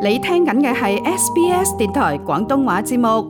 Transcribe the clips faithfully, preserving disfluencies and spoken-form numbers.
你聽緊嘅係 S B S 電台廣東話節目。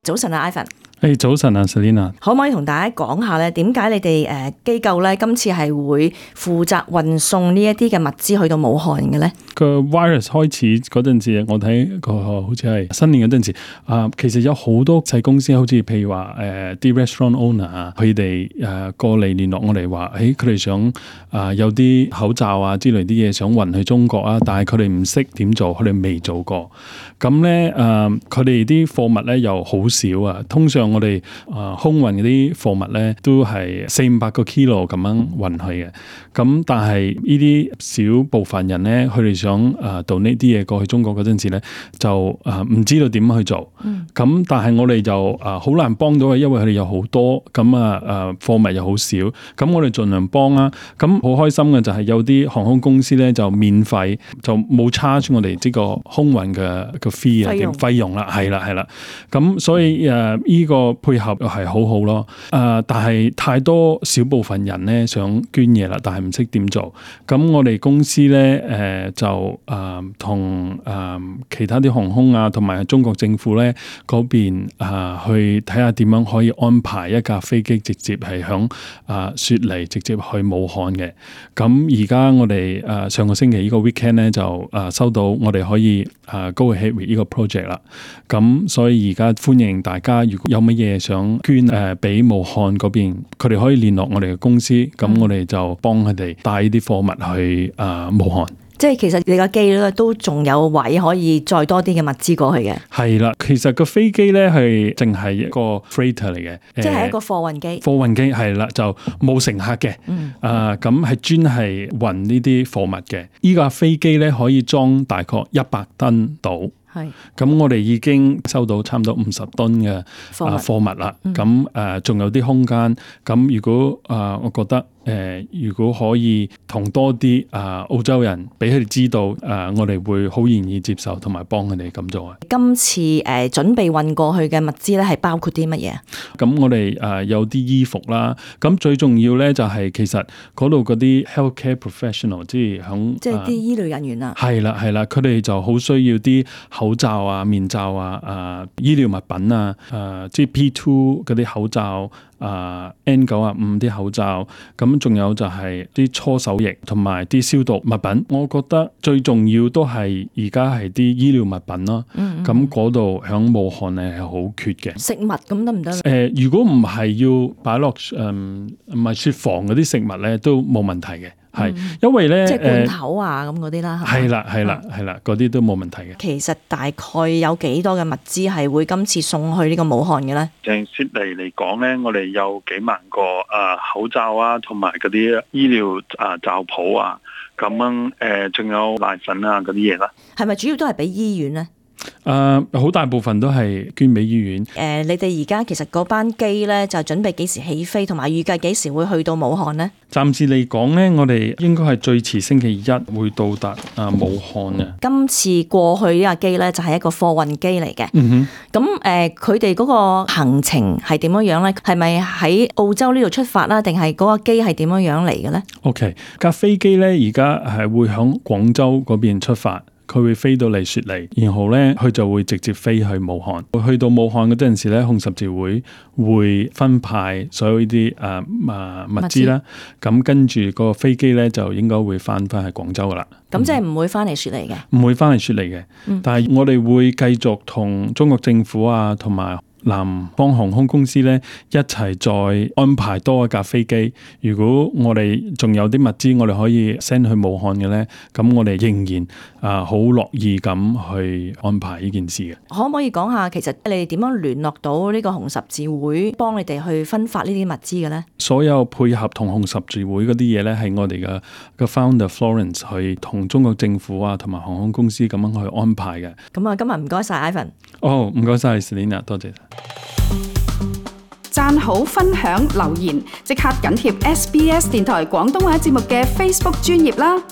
早晨啊 ，Ivan。誒、hey, 早晨啊 ，Selina，可唔可以同大家講下咧？點解你哋誒機構咧今次係會負責運送呢一啲嘅物資去到武漢嘅咧？個 virus 開始嗰陣時，我睇個好似係新年嗰陣時，啊、呃，其實有好多細公司，好似譬如話誒啲 restaurant owner 啊，佢哋誒過嚟聯絡我哋話，誒佢哋想啊、呃、有啲口罩啊之類啲嘢想運去中國啊，但係佢哋唔識點做，佢哋未做過。咁咧誒，佢哋啲貨物咧又好少啊，通常我哋啊、呃、空運嗰啲貨物咧都係四五百個 kilo 咁樣運去嘅。咁但係呢啲少部分人咧，佢哋想啊到呢啲嘢過去中國嗰陣時咧，就啊唔、呃、知道點樣去做。咁、嗯、但係我哋就啊好、呃、難幫到佢，因為佢哋有好多，咁啊誒貨物又好少。咁我哋盡量幫啦。咁好開心嘅就係有啲航空公司咧就免費，就冇 charge 我哋呢個空運嘅個 fee 啊費用啦，係啦係啦。咁所以誒呢、呃這個配合係好好咯。誒、呃、但係太多少部分人咧想捐嘢啦，但係唔識點做。咁我哋公司咧誒、呃、就誒同誒其他啲航空啊，同埋中國政府咧嗰邊啊、呃、去睇下點樣可以安排一架飛機直接係響啊雪梨直接去武漢嘅。咁而家我哋誒、呃、上個星期呢個 weekend 咧就誒、呃、收到我哋可以誒 go ahead with 呢個 project 啦。咁所以而家歡迎大家，如果有乜嘢想捐誒俾、呃、武漢嗰邊，佢哋可以聯絡我哋嘅公司，咁、嗯、我哋就幫佢哋帶呢啲貨物去誒、呃、武漢。即係其實你個機咧都仲有位可以載多啲嘅物資過去嘅。係啦，其實個飛機咧係淨係一個 freighter 嚟嘅，即係一個貨運機。貨運機係啦，就冇乘客嘅。嗯。啊，咁係專係運呢啲貨物嘅。依架飛機咧可以裝大概一百噸到。係，咁我哋已經收到差唔多五十噸嘅貨貨物啦。咁誒仲有啲空間。咁如果啊、呃，我覺得誒、呃，如果可以同多啲啊、呃、澳洲人俾佢哋知道，誒、呃、我哋會好願意接受同埋幫佢哋咁做啊。今次誒、呃、準備運過去嘅物資咧，係包括啲乜嘢？咁我哋誒、呃、有啲衣服啦。咁最重要咧就係其實嗰度嗰啲 healthcare professional， 即係響即係啲醫療人員啊。係啦係啦，佢哋就好需要啲口罩啊、面罩啊、誒、呃、醫療物品啊、誒、呃、即係 P 二 嗰啲口罩、啊、呃、N 九十五 啲口罩，咁仲有就係啲搓手液同埋啲消毒物品。我覺得最重要都係而家係啲醫療物品咯。咁嗰度響武漢咧係好缺嘅。食物咁得唔得？誒，如果唔係要擺落誒唔係雪房嗰啲食物咧，都冇問題嘅。係，因為咧，即係罐頭啊咁嗰啲啦，係啦係啦係啦，嗰啲都冇問題嘅。其實大概有幾多嘅物資係會今次送去呢個武漢嘅咧？淨雪梨嚟講咧，我哋有幾萬個啊口罩啊，同埋嗰啲醫療啊罩袍啊，咁樣誒，仲有奶粉啊嗰啲嘢啦。係咪主要都係俾醫院咧？誒、呃，好大部分都係捐俾醫院。誒、呃，你哋而家其實嗰班機咧就準備幾時起飛，同埋預計幾時會去到武漢呢？暫時嚟講咧，我哋應該係最遲星期一會到達啊武漢嘅。今次過去呢架機咧就係一個貨運機嚟嘅。嗯哼。咁誒，佢哋嗰個行程係點樣樣咧？係咪喺澳洲呢度出發啦？定係嗰個機係點樣樣嚟嘅咧 ？OK，架飛機咧而家係會響廣州嗰邊出發。佢會飛到嚟雪梨，然後咧佢就會直接飛去武漢。去到武漢嗰陣時咧，紅十字會會分派所有呢啲誒誒物資啦。咁跟住個飛機咧就應該會翻翻去廣州噶啦。咁即係唔會翻嚟雪梨嘅？唔會翻嚟雪梨嘅。嗯、但係我哋會繼續同中國政府啊，同埋南方航空公司咧一齊再安排多一架飛機。如果我哋仲有啲物資，我哋可以 send 去武漢嘅咧，咁我哋仍然啊好樂意咁去安排呢件事嘅。可唔可以講下，其實你哋點樣聯絡到呢個紅十字會幫你哋去分發呢啲物資嘅咧？所有配合同紅十字會嗰啲嘢咧，係我哋嘅嘅 founder Florence 去同中國政府啊，同埋航空公司咁樣去安排嘅。咁啊，今日唔該晒 Ivan。哦，唔該晒 Selina， 多謝。讚好、分享、留言，即刻緊貼 S B S 電台廣東話節目嘅 Facebook 專頁啦！